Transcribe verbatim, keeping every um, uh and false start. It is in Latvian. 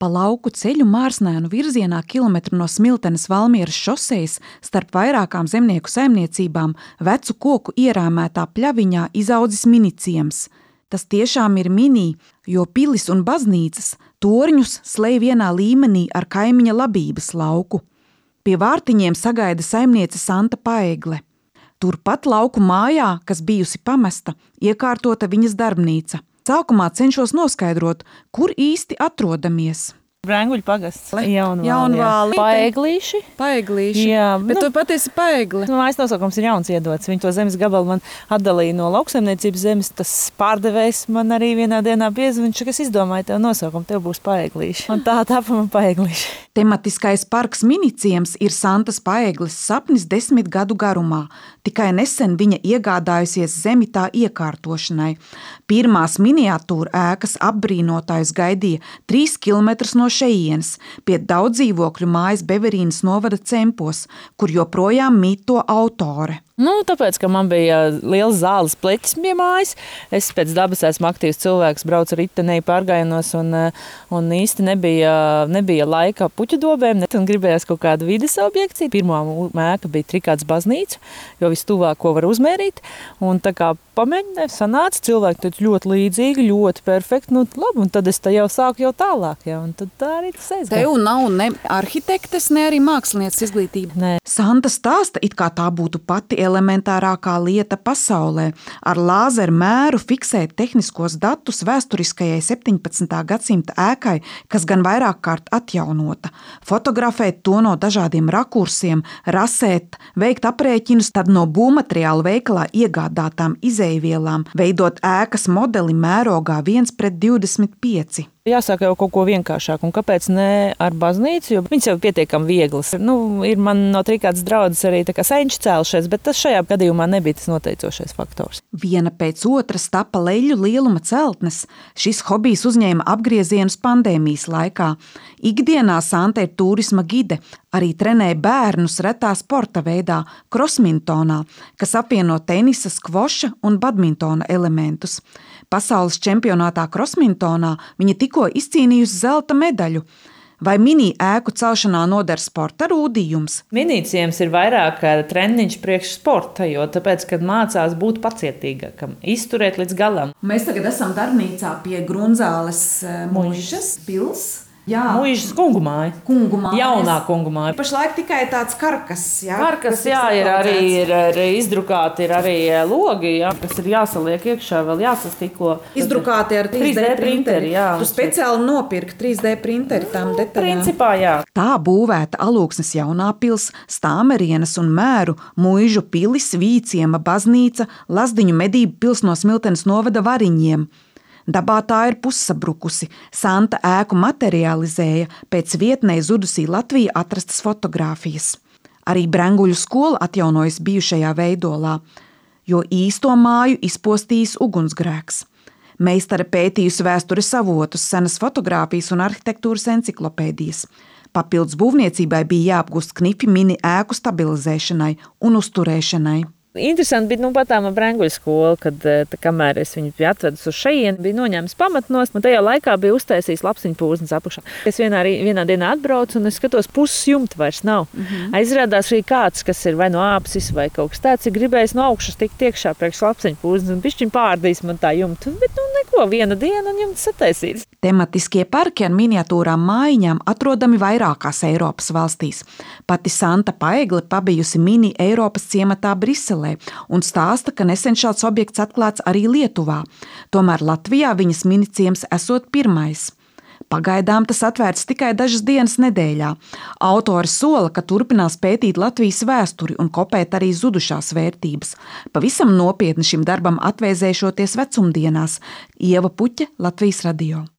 Pa lauku ceļu Mārsnēnu virzienā kilometru no Smiltenes Valmieras šosejas starp vairākām zemnieku saimniecībām vecu koku ierāmētā pļaviņā izaudzis miniciems. Tas tiešām ir mini, jo pilis un baznīcas torņus slēj vienā līmenī ar kaimiņa labības lauku. Pie vārtiņiem sagaida saimniece Santa Paegle. Turpat lauku mājā, kas bijusi pamesta, iekārtota viņas darbnīca. Sākumā cenšos noskaidrot, kur īsti atrodamies. Brenguļu pagasts. Jaunvāli. Jaunvāli. Paeglīši. Paeglīši. Jā, bet nu, tu patiesi paegli. Nu, mājas nosaukums ir jauns iedots. Viņi to zemes gabalu man atdalīja no lauksaimniecības zemes. Tas pārdevējs man arī vienā dienā piezvanīja, viņš, kas izdomāja tev nosaukumu, tev būs Paeglīši. Un tā tāpa man Paeglīši. Tematiskais parks Miniciems ir Santas Paegles sapnis desmit gadu garumā. Tikai nesen viņa iegādājusies zemi tā iekārtošanai. Pirmās miniatūra ēkas apbrīnotājus gaidīja trīs kilometrus no šejienes, pie daudz dzīvokļu mājas Beverīnas novada Cempos, kur joprojām mīt to autore. Nu, tāpēc, ka man bija liels zāles pleķis pie mājas, es pēc dabas esmu aktīvs cilvēks, braucu ritenī pārgājienos un, un īsti nebija, nebija laika puķu dobēm, un gribējās kaut kādu vides objekciju. Pirmā mēka bija Trikāds baznīca, jo vistuvāk, ko var uzmērīt, un tā kā pamēģināju, sanāca, cilvēki teica ļoti līdzīgi, ļoti perfekti, nu labi, un tad es tā jau sāku jau tālāk, ja, un tad tā arī tas aizgāja. Tev nav ne arhitektes, ne arī mākslinieces izglītība. Nē. Santa stāsta, it kā tā būtu pati elementārākā lieta pasaulē, ar lāzeru mēru fiksēt tehniskos datus vēsturiskajai septiņpadsmitā gadsimta ēkai, kas gan vairāk kārt atjaunota, fotografēt to no dažādiem rakursiem, rasēt, veikt aprēķinus, tad no būvmateriālu veikalā iegādātām izejvielām, veidot ēkas modeli mērogā viens pret divdesmit pieci. Jāsāk jau kaut ko vienkāršāk, un kāpēc ne ar baznīcu, jo viņas jau pietiekami vieglas. Nu, ir man no Trikādas draudzes arī tā kā senči cēlušies, bet tas šajā gadījumā nebija tas noteicošais faktors. Viena pēc otras tapa leļu lieluma celtnes. Šis hobijs uzņēma apgriezienus pandēmijas laikā. Ikdienā Santa ir turisma gide, arī trenē bērnus retā sporta veidā, krosmintonā, kas apvieno tenisa, skvoša un badmintona elementus. Pasaules čempionātā krosmintonā viņa tikko izcīnījusi zelta medaļu. Vai mini ēku celšanā noder sporta rūdījums? Miniciems ir vairāk treniņš priekš sporta, jo tāpēc, kad mācās būt pacietīgākam, izturēt līdz galam. Mēs tagad esam darbnīcā pie Grunzāles muižas pils. Jā, Muižas kungu māja. Kungu māja. Jaunā kungu māja. Pašlaik tikai tāds karkas, jā. Karkas, jā, ir arī ir, ir izdrukāti, ir arī logi, jā, kas ir jāsaliek iekšā, vēl jāsastiklo. Izdrukāti ar trīs D printeri, jā. Tu speciāli nopirki trīs D printeri tām detaļām. Principā, jā. Tā būvēta Alūksnes jaunā pils, Stāmerienes un Mēru, Muižu pilis, Vīciema baznīca, Lazdiņu medību pils no Smiltenes novada Variņiem. Dabā tā ir pussabrukusi. Santa ēku materializēja pēc vietnē zudusī Latvija atrastas fotogrāfijas. Arī Brenguļu skola atjaunojas bijušajā veidolā, jo īsto māju izpostījis ugunsgrēks. Meistare pētījusi vēstures avotus, senas fotogrāfijas un arhitektūras enciklopēdijas. Papildus būvniecībai bija jāapgūst knipi mini ēku stabilizēšanai un uzturēšanai. Interesanti bija nu, pat tā Brenguļu skola, kad tā, kamēr es viņu biju atvedus uz šejieni, bija noņēmis pamatnos, un tajā laikā bija uztaisījis lapsiņu pūznes apakšā. Es vienā, vienā dienā atbraucu un es skatos, puses jumta vairs nav. Mm-hmm. Aizrādās arī kāds, kas ir vai no āpsis vai kaut kas tāds, ir gribējis no augšas tikt iekšā priekš lapsiņu pūznes un bišķiņ pārdīs man tā jumta. Bet nu neko, viena diena un jumts sataisīts. Tematiskie parki ar miniatūrām mājiņām atrodami vairākās Eiropas valstīs. Pati Santa Paegle pabijusi mini Eiropas ciematā Briselē un stāsta, ka nesen šāds objekts atklāts arī Lietuvā. Tomēr Latvijā viņas miniciems esot pirmais. Pagaidām tas atvērts tikai dažas dienas nedēļā. Autori sola, ka turpinās pētīt Latvijas vēsturi un kopēt arī zudušās vērtības. Pavisam nopietni šim darbam atvēzēšoties vecumdienās. Ieva Puķe, Latvijas radio.